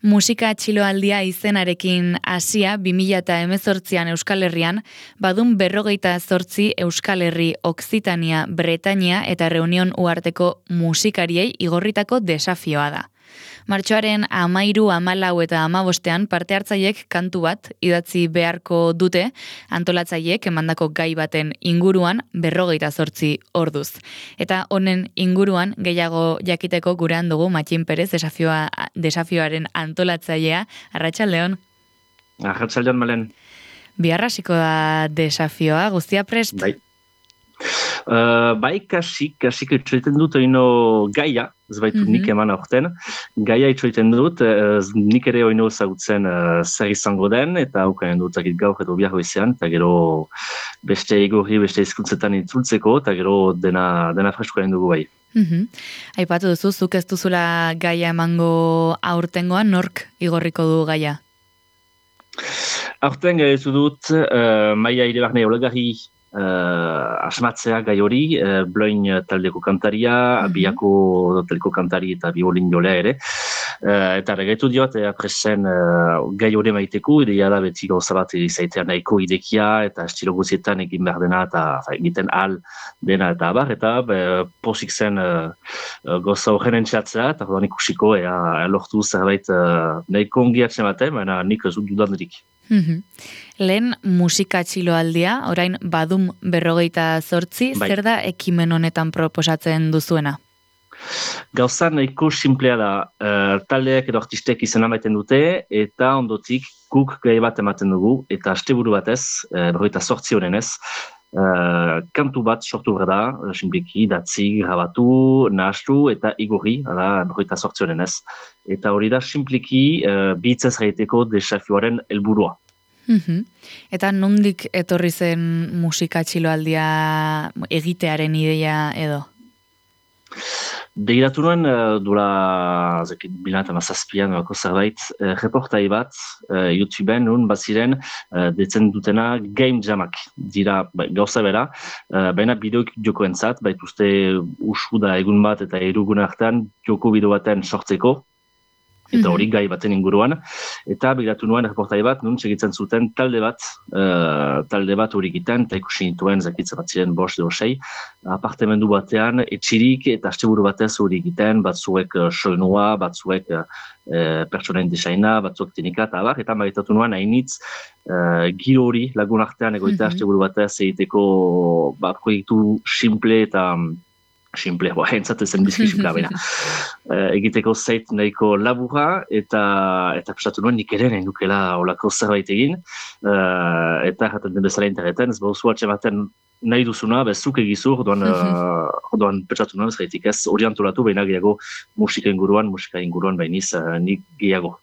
Musika txiloaldia izenarekin hasia 2018an Euskal Herrian, badun 58 Euskal Herri, Okzitania, Bretainia eta Reunion uharteko musikariei igorritako desafioa da. Martxoaren 13, 14 eta 15 parte hartzaiek kantu bat idatzi beharko dute antolatzaileek emandako gai baten inguruan 58 orduz. Eta honen inguruan gehiago jakiteko gurean dugu Matxin Perez desafioaren antolatzailea. Arratsaldeon. Arratsaldeon, Malen. Bihar hasiko da desafioa, guztia prest? Bai. Kasik itxoiten dut oino gaia, ez baitu nik eman aurten, gaia itxoiten dut, nik ere oino zagutzen zer izango den, eta aukanen dut gaur edo bihar goizean, eta gero beste igorri, beste hizkuntzetan itzultzeko, eta gero dena freskoaren dugu bai. Aipatu duzu, zuk ez duzula gaia emango aurtengoan, nork igorriko du gaia? Aurten gaitu dut, Maia Iribarne Olegarri asmatzea gai hori, Bloin taldeko kantaria, Biako taldeko kantari eta biolin jolea ere. Eta regaitu diot, presen gai hori maiteko, ideia da beti gauza bat izaitea nahiko idekia, eta estilo guzietan egin behar dena, eta egiten al dena eta abar, eta posik zen gauza horren entxatzea, eta horren ikusiko, lortu zerbait nahiko ongiatzen baten, baina nik ez dut dudanderik. Lehen musika txiloaldia, orain badum 58, zer da ekimen honetan proposatzen duzuena? Gauza nahiko simplea da, taldeak edo artistek izena maiten dute, eta ondotik guk gai bat ematen dugu, eta asteburu batez, 58 honenez, kantu bat sortu behar da, simpliki, datzi, grabatu, nahastu eta igorri, 58 honenez. Eta hori da simpliki bitzez gaiteko desafioaren helburua. Eta nondik etorri zen musika txiloaldia egitearen ideia edo? Begiratu nuen, duela 2017an zerbait, reportai bat, YouTubeen nun baziren detzen dutena game jamak. Dira gauza bera, baina bideok jokoentzat, baituzte usu da egun bat eta erugun artean joko bideo baten sortzeko, eta hori gai baten inguruan, eta begiratu nuen reportai bat, nun segitzen zuten talde bat hori egiten, eta ikusi nituen zakitza bat ziren 5 edo 6, apartemendu batean etxirik eta asteburu batez hori egiten, batzuek soinua, batzuek pertsonain desaina, batzuek teknika eta abar, eta begiratu nuen hainitz giro hori lagun artean egoita asteburu batez egiteko proiektu simple eta simple, entzatezen bizki simplea baina. Egiteko zait nahiko laburra, eta prestatu nuen nik ere nahi nukela olako zerbait egin, eta jaten den bezala interneten, ez bauzu atxematen nahi duzuna, bezuk egizu, orduan prestatu nuen, ez gaitik ez orientolatu, baina gehiago musika inguruan bainiz nik gehiago.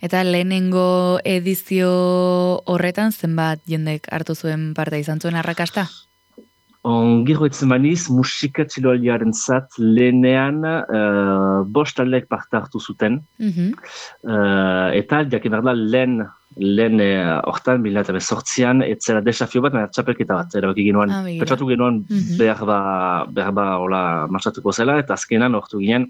Eta lehenengo edizio horretan zenbat jendek hartu zuen parte izan zuen arrakasta? Gero etzen baniz, musika txiloaldiaren zat lehenean 5 taldeek parte hartu zuten. Eta jakin behar da lehen hortan 2018an etzera desafio bat, txapelketa bat, erabaki ginoan, pentsatu ginoan behar ba martxatuko zela, eta azkenan hortu ginen,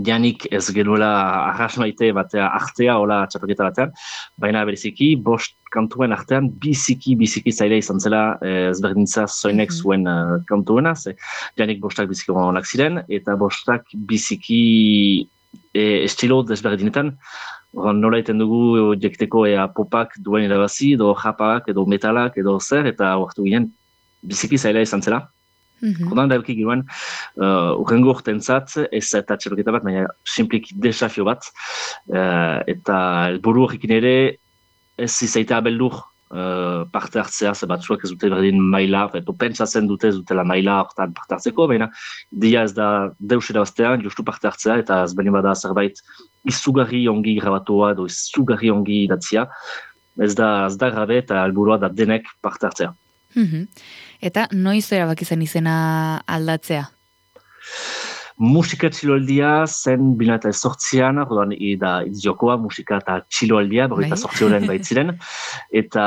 janik ez genuela arras maite batea artea hola txapelketa batean, baina bereziki 5 kantuen artean biziki zaila izan zela ezberdintza zoinek zuen kantuena, janik 5 biziki onak ziren, eta 5 biziki estilo desberdinetan, nola iten dugu jekteko popak duen irabazi, edo japak, edo metalak, edo zer, eta hortu ginen biziki zaila izan zela. Ordan da eukik ginoen, urrengo urtentzat, ez eta txapelketa bat, baina simpliki desafio bat, eta helburu horrekin ere ez izaitea beldur parte hartzea, ze batzuak ez dute berdin maila, eto pentsatzen dute ez dutela maila hortan parte hartzeko, baina dia ez da deus erabaztean, justu parte hartzea, eta ez beni bada zerbait izugarri ongi grabatua, edo izugarri ongi idatzia, ez da grabe eta helburua da denek parte hartzea. Eta noiz erabaki zen izena aldatzea? musika txiloaldia zen 2008an, orduan da jokoa musika eta txiloaldia, 2008 baitziren, eta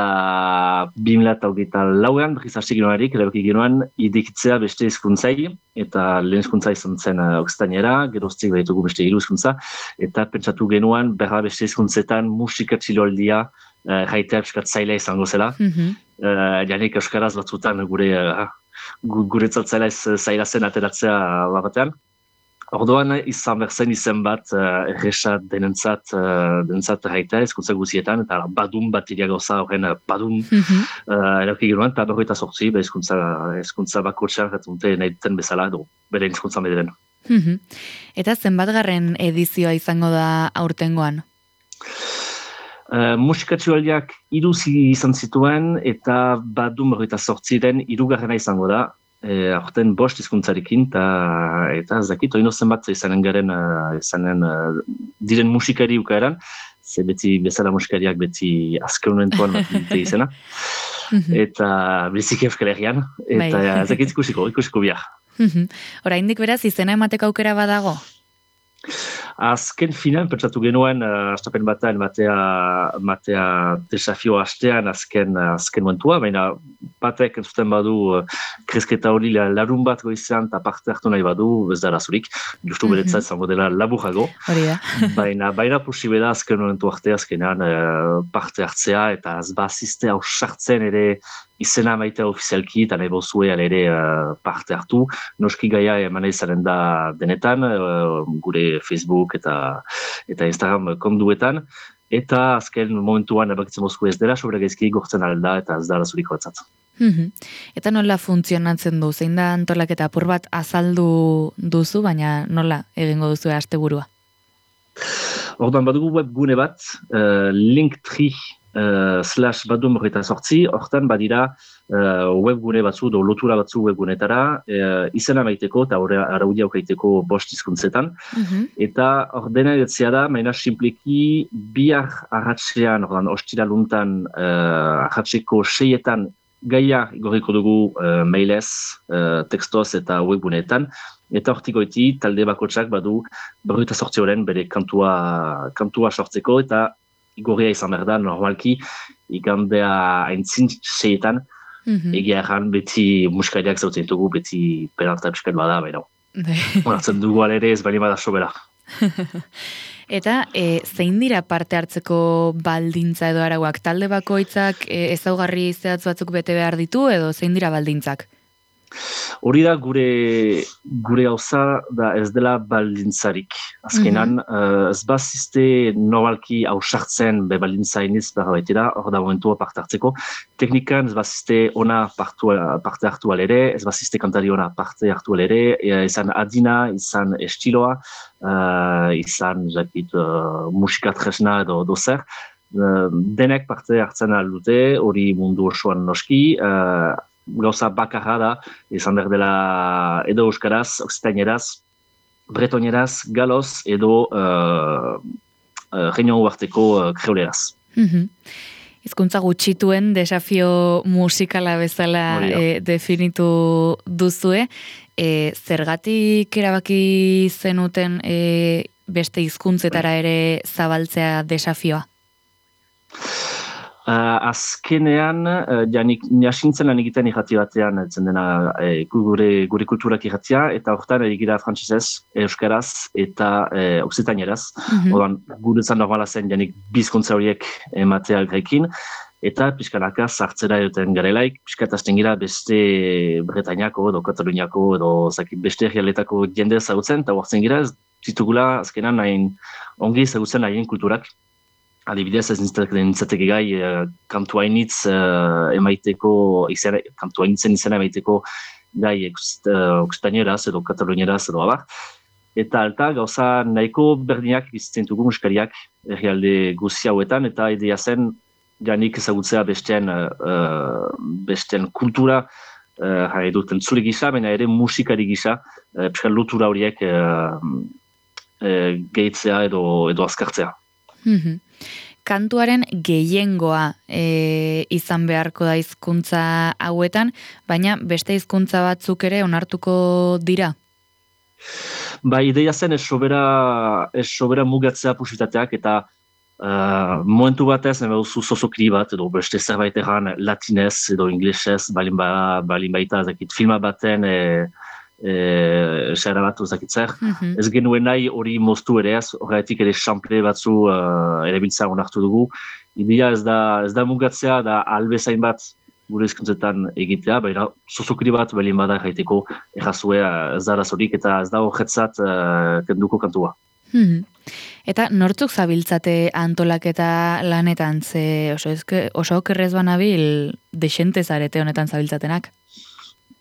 2008an, berriz hasi ginoarik, erabaki ginoan, idikitzea beste hizkuntzai, eta lehen hizkuntza izan zen okzitainera, geroztik behitugu beste 3 hizkuntza, eta pentsatu genuan, berra beste hizkuntzetan musika txiloaldia jaitea piskat zaila izango zela. Janik euskaraz batzutan guretzat zaila zen ateratzea batean. Orduan izan berzen izen bat erresa denentzat jaitea hizkuntza guzietan, eta badun bat iria gauza horren badun erauki ginoan, eta 28 hizkuntza bakotxean jatunte nahi duten bezala, bere hizkuntza mederen. Eta zenbatgarren edizioa izango da aurtengoan? Musika txiloaldiak 3 izan zituen, eta badun 28 hirugarrena izango da, aurten 5 hizkuntzarekin, eta ez dakit, oino zenbat izanen garen, diren musikari ukaeran, ze beti bezala musikariak beti azken momentuan bat dute izena, eta biziki Euskal Herrian, eta ez dakit ikusiko bihar. Oraindik beraz izena emateko aukera badago? Azken finan, pentsatu genuen, astapen batean, matea desafio hastean azken momentua, baina batek entzuten badu kresketa hori larun bat goizean eta parte hartu nahi badu, ez da razurik, justu beretzat zango dela laburago, baina posible da azken momentu azkenan parte hartzea, eta ez bazizte hausartzen ere izena maitea ofizialki, eta nahi bozue ere parte hartu. Noski gaia eman izanen da denetan, gure Facebook eta Instagram konduetan, eta azken momentuan ebakitzen bozku ez dela, sobera gaizki gortzen alda, eta ez da razuriko batzat. Eta nola funtzionatzen du? Zein da antolaketa apur bat azaldu duzu, baina nola egingo duzu asteburua? Orduan badugu webgune bat, Linktree /badum28, hortan badira webgune batzu, lotura batzu webgunetara, izena maiteko eta araudia aukaiteko 5 hizkuntzetan. Eta ordena edatzea da, maina simpleki bihar arratsean, ostiraluntan arratseko 6etan gaia igorriko dugu mailez, tekstoz eta webguneetan. Eta hortikoiti talde bakotsak badu 28 bere kantua sortzeko, eta igorria izan behar da, normalki, igandea aintzin 6etan, egia erran beti musikariak zautzen dugu, beti penalta piskat bada, baina. Horatzen dugu alere ez bali bada sobera. Eta zein dira parte hartzeko baldintza edo arauak? Talde bakoitzak ezaugarri zehatz batzuk bete behar ditu, edo zein dira baldintzak? Hori da gure gauza da ez dela baldintzarik. Azkenan, ez bazizte normalki hausartzen baldintza iniz behar baitera, hor da momentua parte hartzeko. Teknikan ez bazizte ona parte hartu alere, ez bazizte kantari ona parte hartu alere, izan adina, izan estiloa, izan musika tresna edo zer. Denek parte hartzen aldute, hori mundu osoan noski, gauza bakarra da, izan behar dela edo euskaraz, okzitaineraz, bretoneraz, galoz, edo reunion uarteko kreuleraz. Hizkuntza gutxituen desafio musikala bezala definitu duzue. Zergatik erabaki zenuten beste hizkuntzetara ere zabaltzea desafioa? Azkenean, jasintzen lan egiten irrati batean, etzen dena gure kulturak irratia, eta horretan egira frantsesez, euskaraz eta okzitaineraz. Odan, guretzan normala zen janik bizkuntza horiek ematea grekin, eta pixkanaka sartzera duten garelaik, pixkatazten gira beste Bretainiako edo Kataluniako edo beste herrialetako jende ezagutzen, eta huartzen gira ez ditugula azkenan ongi ezagutzen nahien kulturak. Adibidez, ez nintzateke gai kantuainitz emaiteko, kantuainitzen izena emaiteko gai okzitaineraz edo katalunieraz edo abar. Eta alta, gauza nahiko berdinak bizitzen dugu musikariak herrialde guzi hauetan, eta idea zen janik ezagutzea besteen kultura, duten zule gisa, baina ere musikari gisa, pixkan lotura horiek gehitzea edo azkartzea. Kantuaren gehiengoa izan beharko da hizkuntza hauetan, baina beste hizkuntza batzuk ere onartuko dira? Ba, ideia zen ez sobera mugatzea posibitateak eta momentu batez, duzu zozokri bat, edo beste zerbait erran latinez edo inglesez, balin baita, zakit, filma baten xera bat, zakit zer. Ez genuen nahi hori moztu ere ez, horretik ere xample batzu ere biltza onartu dugu. Ideia ez da mugatzea, da albezain bat gure hizkuntzetan egitea, baina zozokri bat balin bada jaiteko errazue ez da arazorik eta ez da horretzat kenduko kantua. Eta nortzuk zabiltzate antolaketa lanetan, ze oso okerrez banabil desente zarete honetan zabiltzatenak?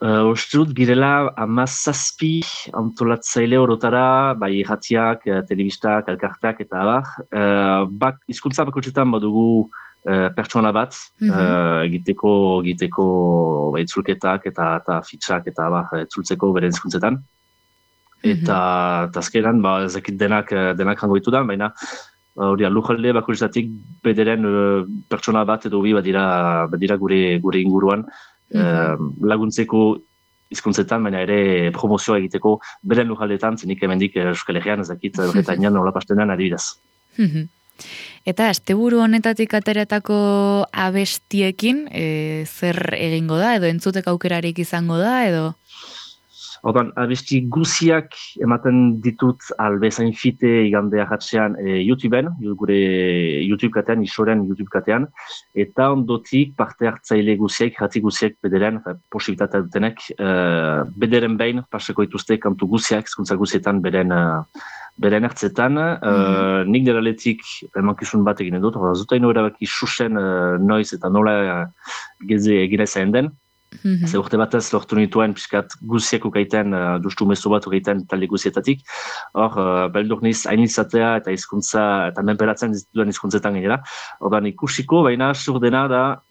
Uste dut girela 17 antolatzaile orotara, bai irratiak, telebistak, elkarteak eta abar. Hizkuntza bakotxetan badugu pertsona bat, egiteko itzulketak eta fitxak eta abar itzultzeko bere hizkuntzetan. Eta azkenan, ezakit denak hango ditu da, baina lujalde bakotxetatik bederen pertsona bat edo bi badira gure inguruan, laguntzeko hizkuntzetan, baina ere promozioa egiteko beren lujaldeetan, zenik hemendik Euskal Herrian ezakit Bretainian nola pastenean adibidez. Eta asteburu honetatik ateratako abestiekin zer egingo da, edo entzuteko aukerarik izango da, edo? Ordan, abesti guziak ematen ditut albezain fite igande ahatzean YouTubeen, gure YouTube katean, isoren YouTube katean, eta ondotik parte hartzaile guziak, jati guziak bederen, posibilitatea dutenek, bederen behin pasako ituzte kantu guziak, hizkuntza guzietan beren hartzetan. Nik deraletik emankizun bat eginen dut, zutaino erabaki susen noiz eta nola geze egina zain den. Ze urte batez lortu nituen piskat guziak ukaiten, dustu mezu bat ukaiten talde guzietatik. Hor, beldur niz hain izatea eta hizkuntza, eta menperatzen duen hizkuntzetan gainera. Ordan ikusiko, baina sur dena da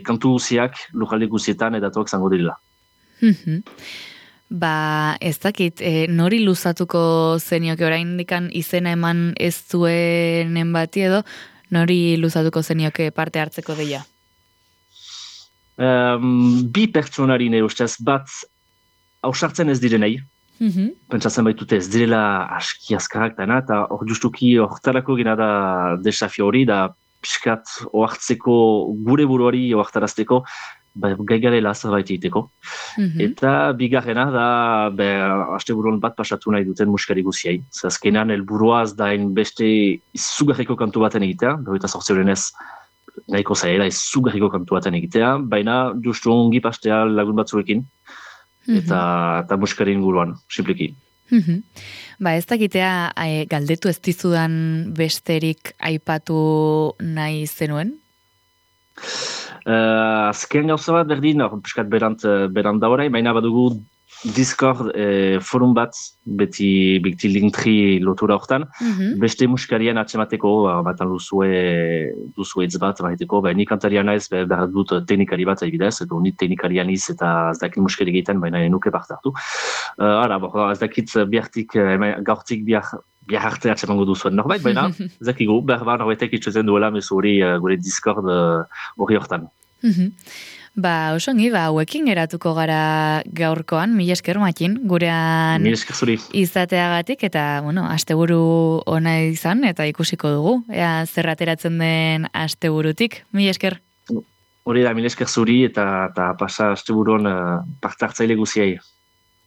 kantu guziak lujalde guzietan edatuak zango direla. Ez dakit, nori luzatuko zenioke orain dikan izena eman ez zuenen bati edo, nori luzatuko zenioke parte hartzeko deia? Bi pertsonari ne ustez bat ausartzen ez direnei. Pentsatzen baitute ez direla aski azkarrak dena, eta hor justuki hortarako gena da desafio hori, da piskat oartzeko gure buruari oartarazteko gaigarela zerbait egiteko. Eta bigarrena da asteburuan bat pasatu nahi duten musikari guziei. Azkenan helburuaz da beste izugarriko kantu baten egitea, eta sortzeurenez nahiko zaila izugarriko kantu baten egitea, baina justu ongi pastea lagun batzuekin, eta musikari inguruan, simpliki. Ez dakitea galdetu ez dizudan besterik aipatu nahi zenuen? Azken gauza bat berdin, piskat berant da horai, baina badugu Discord forum bat, beti Linktree lotura hortan, beste musikarian atxemateko, batan duzue hitz bat, nik kantaria naiz, behar dut teknikari bat adibidez, edo nit teknikarian iz eta ez dakit musikari egiten, baina nuke parte hartu. Ez dakit gaurtik bihar arte atxemango duzuen norbait, baina ez dakigu, behar norbaitek itxozen duela mezu hori gure Discord hori hortan. Osongi, hauekin geratuko gara gaurkoan, mila esker Matin, gurean izateagatik, eta, asteburu ona izan, eta ikusiko dugu, zer ateratzen den asteburutik, mila esker. Hori da, mila esker zuri, eta pasa asteburuan parte hartzaile guziai.